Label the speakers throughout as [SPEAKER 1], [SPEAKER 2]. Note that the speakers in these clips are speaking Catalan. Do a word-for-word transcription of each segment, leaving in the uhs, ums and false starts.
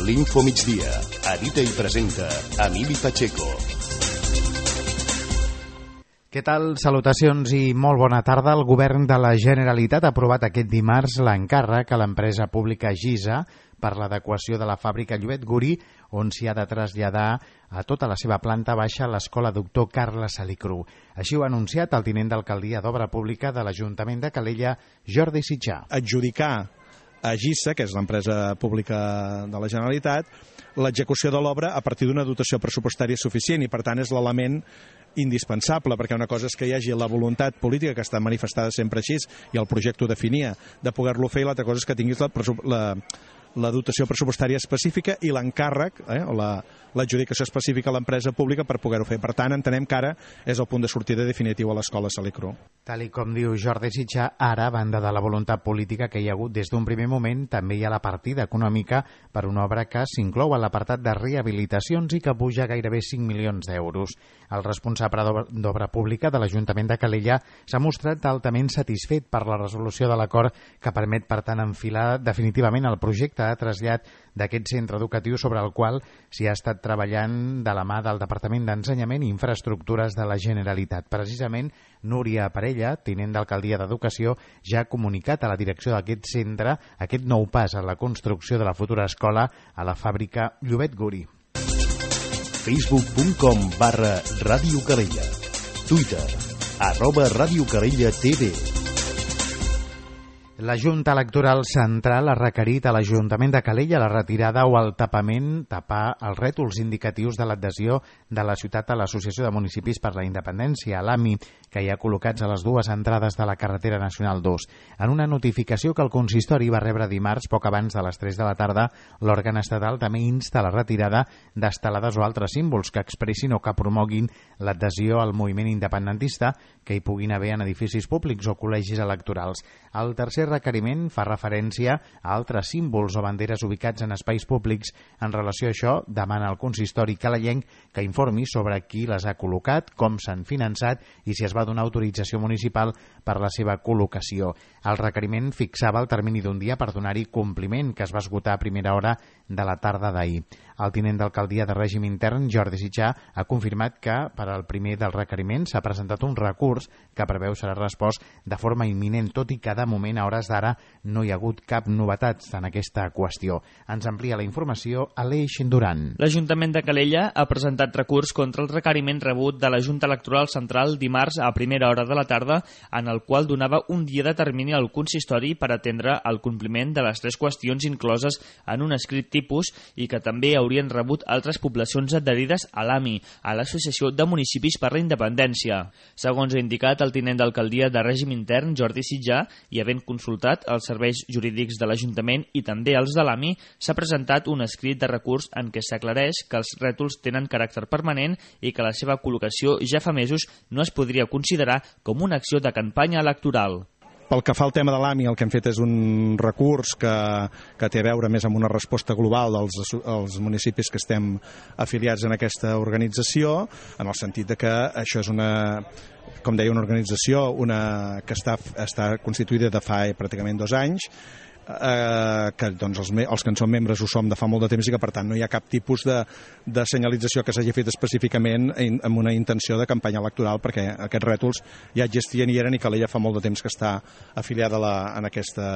[SPEAKER 1] l'Info Migdia. Edita i presenta Emili Pacheco.
[SPEAKER 2] Què tal? Salutacions i molt bona tarda. El govern de la Generalitat ha aprovat aquest dimarts l'encàrrec a l'empresa pública Gisa per l'adequació de la fàbrica Llobet Guri, on s'hi ha de traslladar a tota la seva planta baixa l'escola doctor Carles Salicru. Així ho ha anunciat el tinent d'alcaldia d'Obra Pública de l'Ajuntament de Calella, Jordi Sitjà.
[SPEAKER 3] Adjudicar a Gisa, que és l'empresa pública de la Generalitat, l'execució de l'obra a partir d'una dotació pressupostària suficient i, per tant, és l'element indispensable, perquè una cosa és que hi hagi la voluntat política, que està manifestada sempre així, i el projecte ho definia, de poder-lo fer, i l'altra cosa és que tinguis la, la, la dotació pressupostària específica i l'encàrrec, eh, o la, l'adjudicació específica a l'empresa pública per poder-ho fer. Per tant, entenem que ara és el punt de sortida definitiu a l'escola Salicru.
[SPEAKER 2] Tal i com diu Jordi Sitjà, ara, a banda de la voluntat política que hi ha hagut des d'un primer moment, també hi ha la partida econòmica per una obra que s'inclou a l'apartat de rehabilitacions i que puja gairebé cinc milions d'euros. El responsable d'Obra Pública de l'Ajuntament de Calella s'ha mostrat altament satisfet per la resolució de l'acord que permet, per tant, enfilar definitivament el projecte de trasllat d'aquest centre educatiu sobre el qual s'hi ha estat treballant de la mà del Departament d'Ensenyament i Infraestructures de la Generalitat. Precisament, Núria Parella, tinent d'alcaldia d'Educació, ja ha comunicat a la direcció d'aquest centre aquest nou pas en la construcció de la futura escola a la fàbrica Llobet Guri.
[SPEAKER 1] facebook punt com barra Ràdio Calella. Twitter, arroba Ràdio Calella T V.
[SPEAKER 2] La Junta Electoral Central ha requerit a l'Ajuntament de Calella la retirada o el tapament, tapar els rètols indicatius de l'adhesió de la ciutat a l'Associació de Municipis per la Independència, l'A M I, que hi ha col·locats a les dues entrades de la carretera nacional dos. En una notificació que el consistori va rebre dimarts poc abans de les tres de la tarda, l'òrgan estatal també insta a la retirada d'estelades o altres símbols que expressin o que promoguin l'adhesió al moviment independentista que hi puguin haver en edificis públics o col·legis electorals. El tercer requeriment fa referència a altres símbols o banderes ubicats en espais públics. En relació a això, demana al consistori calellenc que informi sobre qui les ha col·locat, com s'han finançat i si es va donar autorització municipal per la seva col·locació. El requeriment fixava el termini d'un dia per donar-hi compliment, que es va esgotar a primera hora de la tarda d'ahir. El tinent d'alcaldia de règim intern, Jordi Sitjà, ha confirmat que per al primer dels requeriments s'ha presentat un recurs que preveu serà respost de forma imminent, tot i que de moment a hores d'ara no hi ha hagut cap novetat en aquesta qüestió. Ens amplia la informació Aleix Duran.
[SPEAKER 4] L'Ajuntament de Calella ha presentat recurs contra el requeriment rebut de la Junta Electoral Central dimarts a primera hora de la tarda, en el qual donava un dia de termini al consistori per atendre el compliment de les tres qüestions incloses en un escrit tipus i que també haurien rebut altres poblacions adherides a l'A M I, a l'Associació de Municipis per la Independència. Segons ha indicat el tinent d'alcaldia de règim intern, Jordi Sitjà, i havent consultat els serveis jurídics de l'Ajuntament i també els de l'A M I, s'ha presentat un escrit de recurs en què s'aclareix que els rètols tenen caràcter permanent i que la seva col·locació ja fa mesos no es podria considerar com una acció de campanya electoral.
[SPEAKER 3] Pel que fa al tema de l'A M I, el que hem fet és un recurs que, que té a veure més amb una resposta global dels els municipis que estem afiliats en aquesta organització, en el sentit de que això és una, com deia, una organització una, que està, està constituïda de fa pràcticament dos anys, eh, que doncs, els, els que en som membres ho som de fa molt de temps i que per tant no hi ha cap tipus de, de senyalització que s'hagi fet específicament in, amb una intenció de campanya electoral, perquè aquests rètols ja existien i eren, i Calella fa molt de temps que està afiliada a la, en aquesta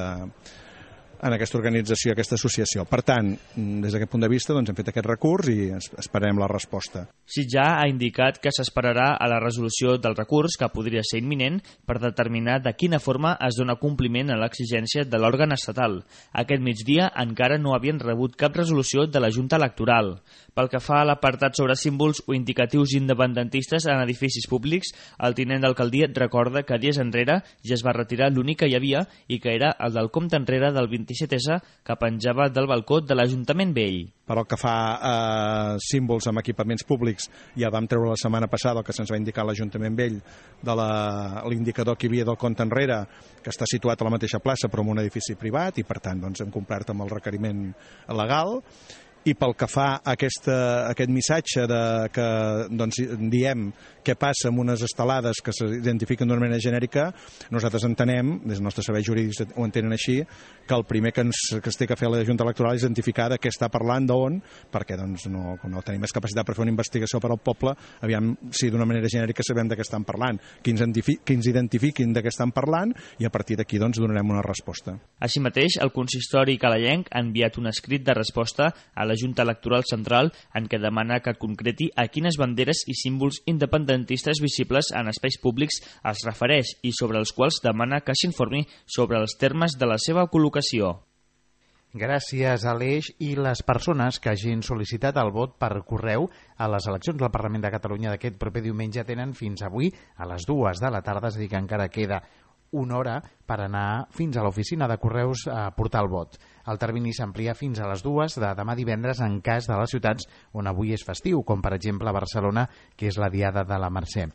[SPEAKER 3] en aquesta organització, aquesta associació. Per tant, des d'aquest punt de vista, doncs, hem fet aquest recurs i esperem la resposta.
[SPEAKER 4] Sitjà ha indicat que s'esperarà a la resolució del recurs, que podria ser imminent, per determinar de quina forma es dona compliment a l'exigència de l'òrgan estatal. Aquest migdia encara no havien rebut cap resolució de la Junta Electoral. Pel que fa a l'apartat sobre símbols o indicatius independentistes en edificis públics, el tinent d'alcaldia recorda que dies enrere ja es va retirar l'únic que hi havia i que era el del compte enrere del vint-i-set essa que penjava del balcó de l'Ajuntament Vell.
[SPEAKER 3] Per el que fa a símbols amb equipaments públics, ja vam treure la setmana passada el que se'ns va indicar a l'Ajuntament Vell de l'indicador que hi havia del compte enrere, que està situat a la mateixa plaça però en un edifici privat, i per tant doncs, hem complert amb el requeriment legal. I pel que fa a aquesta, aquest missatge de que doncs, diem què passa amb unes estelades que s'identifiquen d'una manera genèrica, nosaltres entenem, des del nostre servei jurídic ho entenen així, que el primer que ens, que es té que fer a la Junta Electoral és identificar de què està parlant, d'on, perquè doncs, no, no tenim més capacitat per fer una investigació per al poble, aviam si d'una manera genèrica sabem de què estan parlant, que ens, que ens identifiquin de què estan parlant i a partir d'aquí doncs, donarem una resposta.
[SPEAKER 4] Així mateix, el consistori calayenc ha enviat un escrit de resposta a la Junta Electoral Central en què demana que concreti a quines banderes i símbols independentistes visibles en espais públics es refereix i sobre els quals demana que s'informi sobre els termes de la seva col·locació.
[SPEAKER 2] Gràcies, Aleix. I les persones que hagin sol·licitat el vot per correu a les eleccions del Parlament de Catalunya d'aquest proper diumenge tenen fins avui a les dues de la tarda, és a dir, que encara queda una hora per anar fins a l'oficina de correus a portar el vot. El termini s'amplia fins a les dues de demà divendres en cas de les ciutats on avui és festiu, com per exemple Barcelona, que és la diada de la Mercè.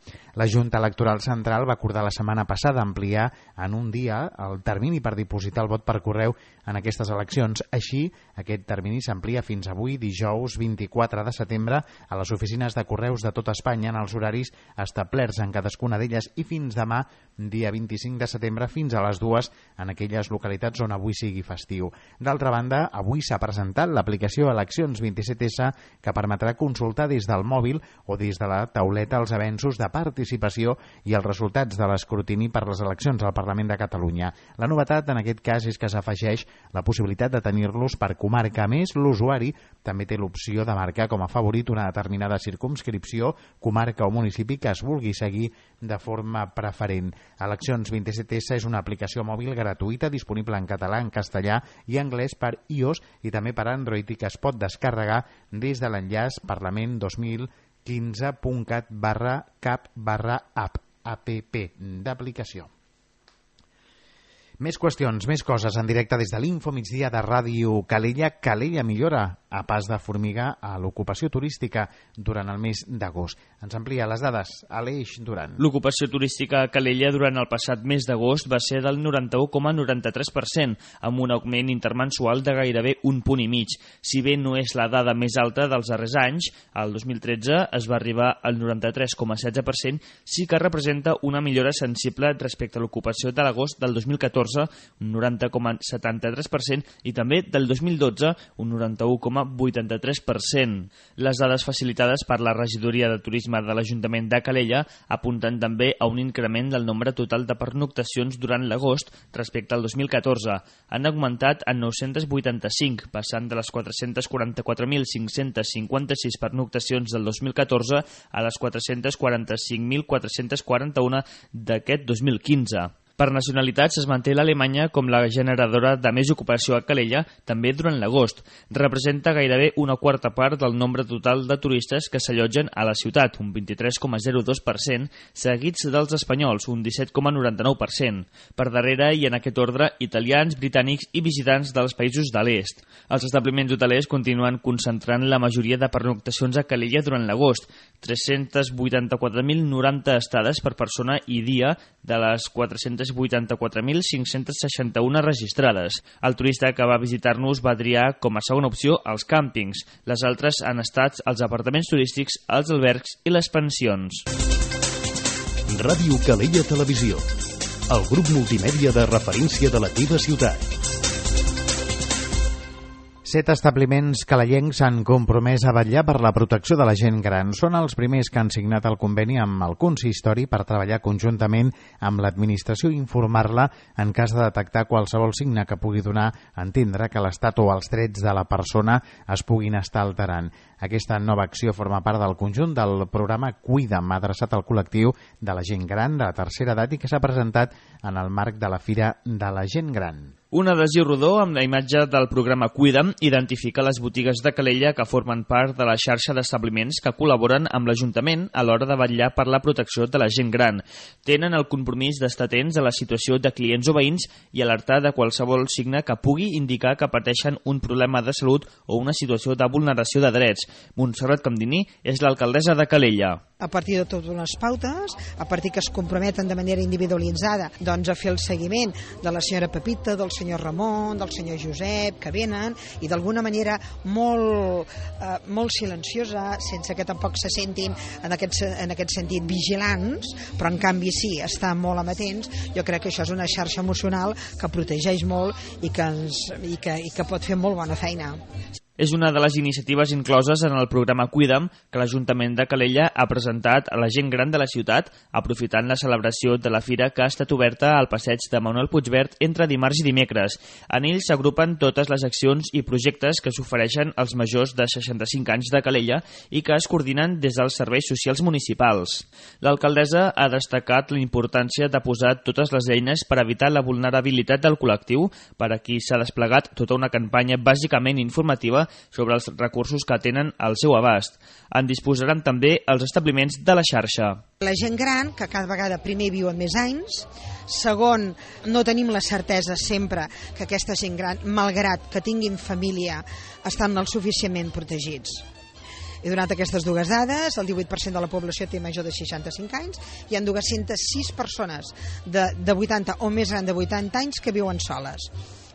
[SPEAKER 2] La Junta Electoral Central va acordar la setmana passada ampliar en un dia el termini per dipositar el vot per correu en aquestes eleccions. Així, aquest termini s'amplia fins avui, dijous vint-i-quatre de setembre, a les oficines de correus de tot Espanya en els horaris establerts en cadascuna d'elles i fins demà, dia vint-i-cinc de setembre, fins a les dues en aquelles localitats on avui sigui festiu. D'altra banda, avui s'ha presentat l'aplicació Eleccions vint-i-set essa que permetrà consultar des del mòbil o des de la tauleta els avenços de participació i els resultats de l'escrutini per les eleccions al Parlament de Catalunya. La novetat en aquest cas és que s'afegeix la possibilitat de tenir-los per comarca. A més, l'usuari també té l'opció de marcar com a favorit una determinada circumscripció, comarca o municipi que es vulgui seguir de forma preferent. Eleccions vint-i-set essa és una aplicació mòbil gratuïta disponible en català, en castellà i anglès per iOS i també per Android i que es pot descarregar des de l'enllaç parlament dos mil quinze punt cat barra cap barra app app d'aplicació. Més qüestions, més coses en directe des de l'Info Migdia de Ràdio Calella. Calella millora a pas de formiga a l'ocupació turística durant el mes d'agost. Ens amplia les dades Aleix Duran.
[SPEAKER 4] L'ocupació turística a Calella durant el passat mes d'agost va ser del noranta-u coma noranta-tres per cent, amb un augment intermensual de gairebé un punt i mig. Si bé no és la dada més alta dels darrers anys, el dos mil tretze es va arribar al noranta-tres coma setze per cent, sí que representa una millora sensible respecte a l'ocupació de l'agost del dos mil catorze, un noranta coma setanta-tres per cent, i també del dos mil dotze, un noranta-u coma vuitanta-tres per cent. Les dades facilitades per la Regidoria de Turisme de l'Ajuntament de Calella apunten també a un increment del nombre total de pernoctacions durant l'agost respecte al dos mil catorze. Han augmentat en nou-cents vuitanta-cinc, passant de les quatre-cents quaranta-quatre mil cinc-cents cinquanta-sis pernoctacions del dos mil catorze a les quatre-cents quaranta-cinc mil quatre-cents quaranta-u d'aquest dos mil quinze. Per nacionalitats es manté l'Alemanya com la generadora de més ocupació a Calella, també durant l'agost. Representa gairebé una quarta part del nombre total de turistes que s'allotgen a la ciutat, un vint-i-tres coma zero dos per cent, seguits dels espanyols, un disset coma noranta-nou per cent. Per darrere, i en aquest ordre, italians, britànics i visitants dels països de l'est. Els establiments hotelers continuen concentrant la majoria de pernoctacions a Calella durant l'agost, tres-cents vuitanta-quatre mil noranta estades per persona i dia de les quatre-cents vuitanta-quatre mil cinc-cents seixanta-u registrades. El turista que va visitar-nos va triar com a segona opció els càmpings. Les altres han estat els apartaments turístics, els albergs i les pensions.
[SPEAKER 1] Ràdio Calella Televisió, el grup multimèdia de referència de la teva ciutat.
[SPEAKER 2] Set establiments calellencs s'han compromès a vetllar per la protecció de la gent gran. Són els primers que han signat el conveni amb el consistori per treballar conjuntament amb l'administració i informar-la en cas de detectar qualsevol signe que pugui donar a entendre que l'estat o els drets de la persona es puguin estar alterant. Aquesta nova acció forma part del conjunt del programa Cuida'm, adreçat al col·lectiu de la gent gran de la tercera edat i que s'ha presentat en el marc de la Fira de la Gent Gran.
[SPEAKER 4] Un adhesiu rodó amb la imatge del programa Cuida'm identifica les botigues de Calella que formen part de la xarxa d'establiments que col·laboren amb l'Ajuntament a l'hora de vetllar per la protecció de la gent gran. Tenen el compromís d'estar atents a la situació de clients o veïns i alertar de qualsevol signe que pugui indicar que pateixen un problema de salut o una situació de vulneració de drets. Montserrat Camdini és l'alcaldessa de Calella.
[SPEAKER 5] a partir de totes unes pautes, a partir que es comprometen de manera individualitzada doncs, a fer el seguiment de la senyora Pepita, del senyor Ramon, del senyor Josep, que venen, i d'alguna manera molt, eh, molt silenciosa, sense que tampoc se sentin en aquest, en aquest sentit vigilants, però en canvi sí, estan molt amatents. Jo crec que això és una xarxa emocional que protegeix molt i que, ens, i que, i que pot fer molt bona feina.
[SPEAKER 4] És una de les iniciatives incloses en el programa Cuida'm que l'Ajuntament de Calella ha presentat a la gent gran de la ciutat, aprofitant la celebració de la fira que ha estat oberta al passeig de Manuel Puigverd entre dimarts i dimecres. En ell s'agrupen totes les accions i projectes que s'ofereixen als majors de seixanta-cinc anys de Calella i que es coordinen des dels serveis socials municipals. L'alcaldessa ha destacat la importància de posar totes les eines per evitar la vulnerabilitat del col·lectiu, per a qui s'ha desplegat tota una campanya bàsicament informativa sobre els recursos que tenen al seu abast. En disposaran també els establiments de la xarxa.
[SPEAKER 5] La gent gran, que cada vegada primer viuen més anys, segon, no tenim la certesa sempre que aquesta gent gran, malgrat que tinguin família, estan el suficientment protegits. He donat aquestes dues dades, el divuit per cent de la població té major de seixanta-cinc anys, hi ha dues-centes sis persones de, de vuitanta o més gran de vuitanta anys que viuen soles.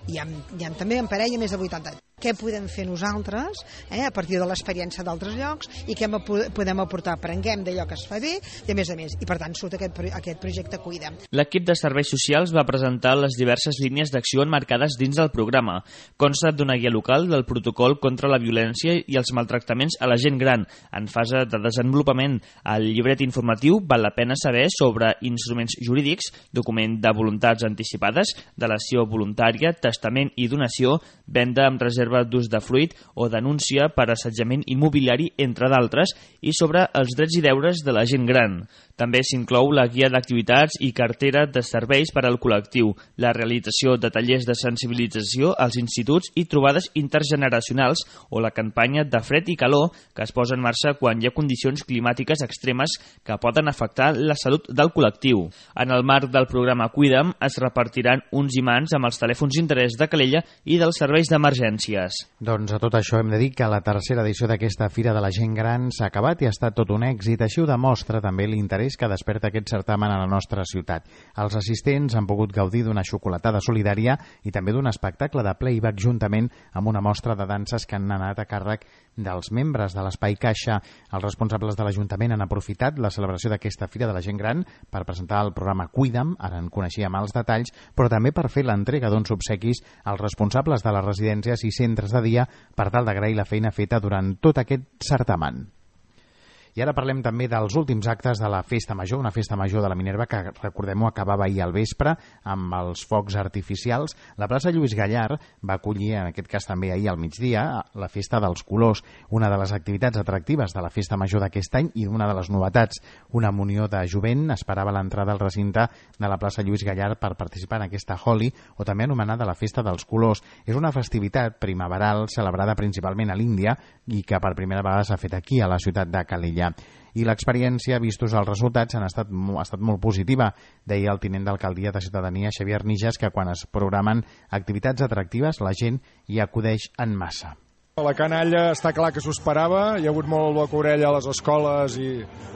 [SPEAKER 5] Hi ha, hi ha també en parella més de vuitanta anys. Què podem fer nosaltres eh, a partir de l'experiència d'altres llocs i què podem aportar? Aprenguem d'allò que es fa bé i a més a més. I per tant surt aquest, aquest projecte Cuida'm.
[SPEAKER 4] L'equip de serveis socials va presentar les diverses línies d'acció enmarcades dins del programa. Consta d'una guia local del protocol contra la violència i els maltractaments a la gent gran en fase de desenvolupament. Al llibret informatiu val la pena saber sobre instruments jurídics, document de voluntats anticipades, delació voluntària, testament i donació, venda amb reserva d'ús de fruit o denúncia per assetjament immobiliari, entre d'altres, i sobre els drets i deures de la gent gran. També s'inclou la guia d'activitats i cartera de serveis per al col·lectiu, la realització de tallers de sensibilització als instituts i trobades intergeneracionals o la campanya de fred i calor que es posa en marxa quan hi ha condicions climàtiques extremes que poden afectar la salut del col·lectiu. En el marc del programa Cuida'm es repartiran uns imants amb els telèfons d'interès de Calella i dels serveis d'emergència.
[SPEAKER 2] Doncs a tot això hem de dir que la tercera edició d'aquesta Fira de la Gent Gran s'ha acabat i ha estat tot un èxit. Així ho demostra també l'interès que desperta aquest certamen a la nostra ciutat. Els assistents han pogut gaudir d'una xocolatada solidària i també d'un espectacle de playback juntament amb una mostra de danses que han anat a càrrec dels membres de l'Espai Caixa. Els responsables de l'Ajuntament han aprofitat la celebració d'aquesta Fira de la Gent Gran per presentar el programa Cuida'm, ara en coneixíem els detalls, però també per fer l'entrega d'uns obsequis als responsables de les residències i centres de dia per tal d'agrair la feina feta durant tot aquest certamen. I ara parlem també dels últims actes de la Festa Major, una Festa Major de la Minerva que, recordem-ho, acabava ahir al vespre amb els focs artificials. La plaça Lluís Gallard va acollir, en aquest cas també ahir al migdia, la Festa dels Colors, una de les activitats atractives de la Festa Major d'aquest any i una de les novetats. Una munió de jovent esperava l'entrada al recinte de la plaça Lluís Gallard per participar en aquesta Holi, o també anomenada la Festa dels Colors. És una festivitat primaveral celebrada principalment a l'Índia i que per primera vegada s'ha fet aquí, a la ciutat de Calella. I l'experiència, vistos els resultats, han estat, ha estat molt positiva, deia el tinent d'alcaldia de Ciutadania, Xavier Nijas, que quan es programen activitats atractives la gent hi acudeix en massa.
[SPEAKER 6] La canalla està clar que s'ho esperava, hi ha hagut molt boca orella a les escoles i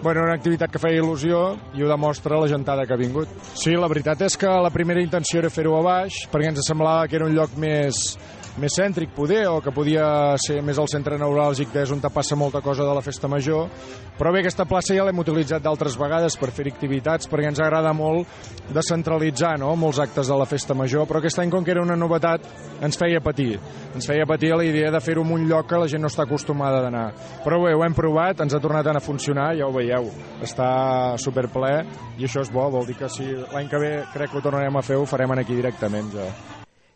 [SPEAKER 6] bueno, una activitat que feia il·lusió i ho demostra la gentada que ha vingut. Sí, la veritat és que la primera intenció era fer-ho a baix perquè ens semblava que era un lloc més més cèntric poder, o que podia ser més el centre neuràlgic que és on passa molta cosa de la Festa Major, però bé, aquesta plaça ja l'hem utilitzat d'altres vegades per fer activitats, perquè ens agrada molt descentralitzar, no?, molts actes de la Festa Major, però aquest any, com que era una novetat, ens feia patir. Ens feia patir la idea de fer-ho en un lloc que la gent no està acostumada d'anar. Però bé, ho hem provat, ens ha tornat a funcionar, ja ho veieu, està superple, i això és bo, vol dir que si l'any que ve crec que ho tornarem a fer, ho farem aquí directament ja.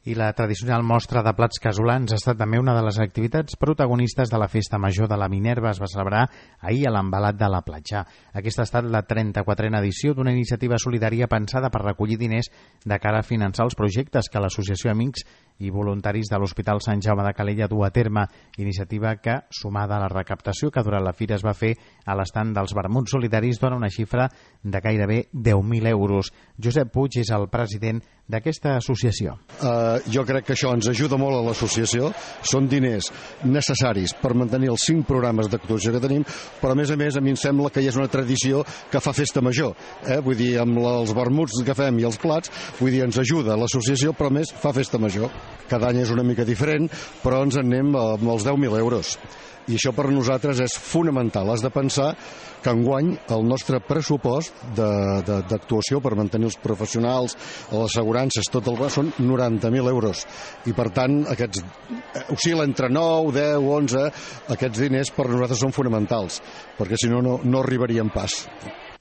[SPEAKER 2] I la tradicional mostra de plats casolans ha estat també una de les activitats protagonistes de la Festa Major de la Minerva. Es va celebrar ahir a l'Embalat de la Platja. Aquesta ha estat la trenta-quatrena edició d'una iniciativa solidària pensada per recollir diners de cara a finançar els projectes que l'Associació Amics i voluntaris de l'Hospital Sant Jaume de Calella dur a terme, iniciativa que, sumada a la recaptació que durant la fira es va fer a l'estand dels vermuts solidaris, dona una xifra de gairebé deu mil euros. Josep Puig és el president d'aquesta associació.
[SPEAKER 7] Uh, jo crec que això ens ajuda molt a l'associació. Són diners necessaris per mantenir els cinc programes d'actuació que tenim, però a més a més a mi em sembla que hi és una tradició que fa festa major. Eh? Vull dir, amb els vermuts que fem i els plats, vull dir, ens ajuda l'associació, però a més fa festa major. Cada any és una mica diferent, però ens en anem amb els deu mil euros. I això per nosaltres és fonamental. Has de pensar que enguany el nostre pressupost d'actuació per mantenir els professionals, les assegurances, tot el són noranta mil euros. I per tant, aquests oscil·la entre nou, deu, onze, aquests diners per nosaltres són fonamentals, perquè si no, no, no arribaríem pas.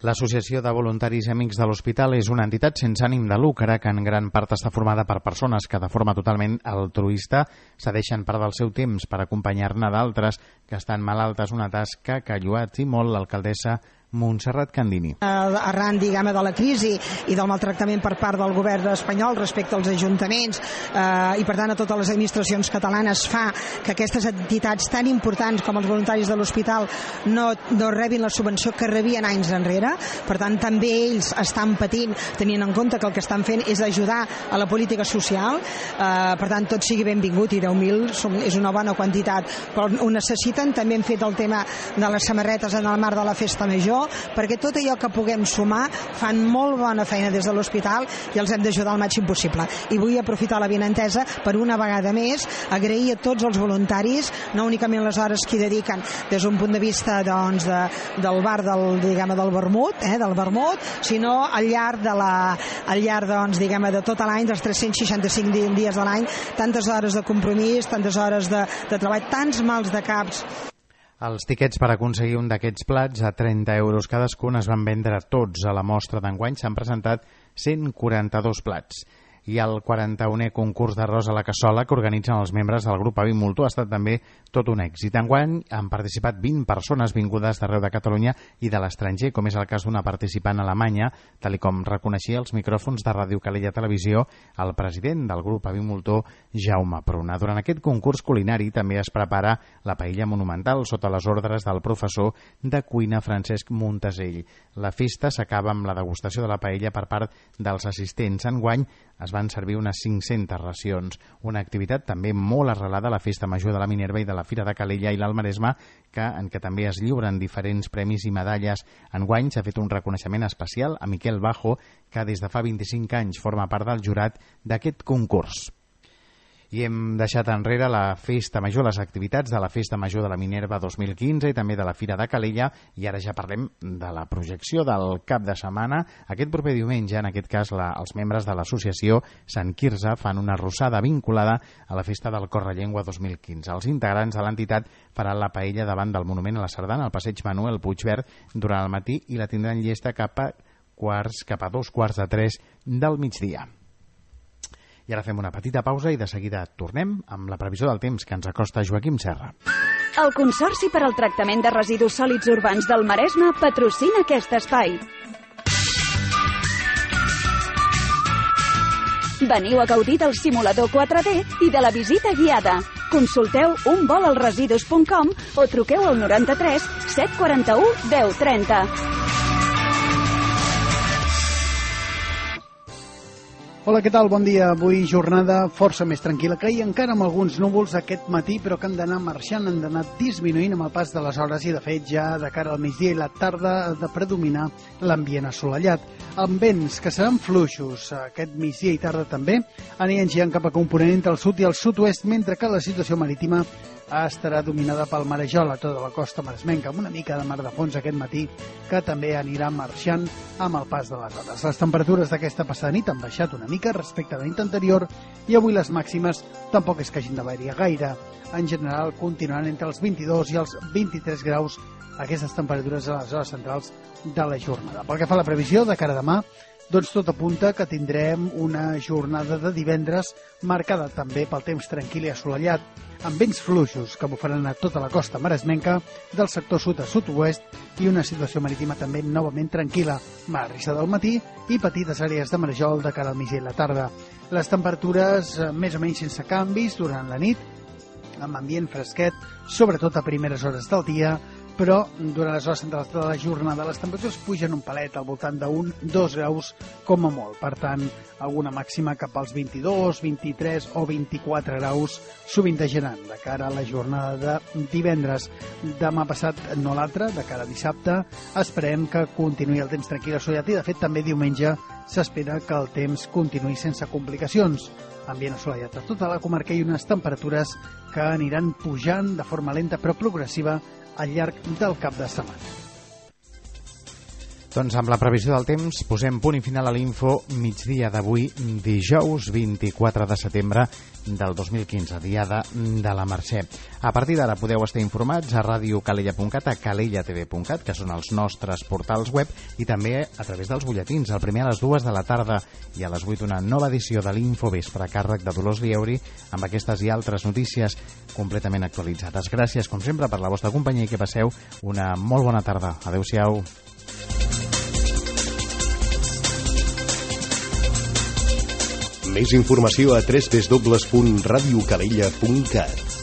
[SPEAKER 2] L'Associació de Voluntaris i Amics de l'Hospital és una entitat sense ànim de lucre que en gran part està formada per persones que de forma totalment altruista cedeixen part del seu temps per acompanyar-ne d'altres que estan malaltes, una tasca que ha lluat i molt l'alcaldessa Montserrat Candini.
[SPEAKER 5] Arran, diguem, de la crisi i del maltractament per part del govern espanyol respecte als ajuntaments eh, i per tant a totes les administracions catalanes fa que aquestes entitats tan importants com els voluntaris de l'hospital no, no rebin la subvenció que rebien anys enrere. Per tant, també ells estan patint, tenint en compte que el que estan fent és ajudar a la política social. Eh, per tant, tot sigui benvingut i deu mil és una bona quantitat, però ho necessiten. També hem fet el tema de les samarretes en el marc de la festa major, perquè tot allò que puguem sumar fan molt bona feina des de l'hospital i els hem d'ajudar al màxim possible. I vull aprofitar la benentesa per una vegada més agrair a tots els voluntaris, no únicament les hores que hi dediquen des d'un punt de vista doncs, de, del bar del, diguem, del vermut, eh, del vermut, sinó al llarg de la, al llarg doncs, diguem, de tot l'any, dels tres-cents seixanta-cinc dies de l'any, tantes hores de compromís, tantes hores de, de treball, tants mals de caps.
[SPEAKER 2] Els tiquets per aconseguir un d'aquests plats a trenta euros cadascun es van vendre tots. A la mostra d'enguany s'han presentat cent quaranta-dos plats. I el quaranta-unè concurs d'arròs a la cassola que organitzen els membres del grup Avi Multó ha estat també tot un èxit. Enguany han participat vint persones vingudes d'arreu de Catalunya i de l'estranger, com és el cas d'una participant alemanya, tal com reconeixia els micròfons de Ràdio Calella Televisió el president del grup Avi Multó, Jaume Pruna. Durant aquest concurs culinari també es prepara la paella monumental sota les ordres del professor de cuina Francesc Montesell. La festa s'acaba amb la degustació de la paella per part dels assistents. Enguany es van servir unes cinc-centes racions, una activitat també molt arrelada a la Festa Major de la Minerva i de la Fira de Calella i l'Alt Maresme, que, en què també es lliuren diferents premis i medalles. Enguany s'ha fet un reconeixement especial a Miquel Bajo, que des de fa vint-i-cinc anys forma part del jurat d'aquest concurs. I hem deixat enrere la Festa Major, les activitats de la Festa Major de la Minerva dos mil quinze i també de la Fira de Calella, i ara ja parlem de la projecció del cap de setmana. Aquest proper diumenge, en aquest cas, la, els membres de l'associació Sant Quirze fan una arrossada vinculada a la Festa del Correllengua dos mil quinze. Els integrants de l'entitat faran la paella davant del Monument a la Sardana, al passeig Manuel Puigverd, durant el matí, i la tindran llesta cap a, quarts, cap a dos quarts de tres del migdia. I ara fem una petita pausa i de seguida tornem amb la previsió del temps que ens acosta Joaquim Serra.
[SPEAKER 8] El Consorci per al Tractament de Residus Sòlids Urbans del Maresme patrocina aquest espai. Veniu a gaudir del simulador quatre D i de la visita guiada. Consulteu un vol al residus punt com o truqueu al noranta-tres set quaranta-u deu trenta.
[SPEAKER 9] Hola, què tal? Bon dia. Avui jornada força més tranquil·la que ahir, encara amb alguns núvols aquest matí, però que han d'anar marxant, han d'anar disminuint amb el pas de les hores i, de fet, ja de cara al migdia i la tarda ha de predominar l'ambient assolellat. Amb vents que seran fluixos aquest migdia i tarda també, aniran girant cap a component entre el sud i el sud-oest, mentre que la situació marítima estarà dominada pel marejol a tota la costa maresmenca, amb una mica de mar de fons aquest matí, que també anirà marxant amb el pas de les hores. Les temperatures d'aquesta passada nit han baixat una mica respecte a la nit anterior i avui les màximes tampoc és que hagin de variar gaire. En general continuaran entre els vint-i-dos i els vint-i-tres graus aquestes temperatures a les hores centrals de la jornada. Pel que fa a la previsió, de cara a demà, Doncs tot apunta que tindrem una jornada de divendres marcada també pel temps tranquil i assolellat, amb vents fluixos que bufaran a tota la costa maresmenca del sector sud a sud-oest i una situació marítima també novament tranquil·la, marrissa del matí i petites àrees de marejol de cara al migdia i la tarda. Les temperatures més o menys sense canvis durant la nit, amb ambient fresquet, sobretot a primeres hores del dia, però durant les hores centrals de la jornada les temperatures pugen un palet al voltant d'un dos graus com a molt. Per tant, alguna màxima cap als vint-i-dos, vint-i-tres o vint-i-quatre graus sovintejaran de cara a la jornada de divendres. Demà passat, no l'altre, de cara a dissabte, esperem que continuï el temps tranquil assolellat i, de fet, també diumenge s'espera que el temps continuï sense complicacions. Ambient assolellat a tota la comarca i unes temperatures que aniran pujant de forma lenta però progressiva al llarg del cap de setmana.
[SPEAKER 2] Doncs amb la previsió del temps posem punt i final a l'info migdia d'avui, dijous vint-i-quatre de setembre del dos mil quinze, diada de la Mercè. A partir d'ara podeu estar informats a radio calella punt cat, a calella t v punt cat, que són els nostres portals web, i també a través dels butlletins. El primer a les dues de la tarda i a les vuit una nova edició de l'Infovespre a càrrec de Dolors Lieuri, amb aquestes i altres notícies completament actualitzades. Gràcies, com sempre, per la vostra companyia i que passeu una molt bona tarda. Adéu-siau.
[SPEAKER 1] Més informació a w w w punt radio calella punt cat.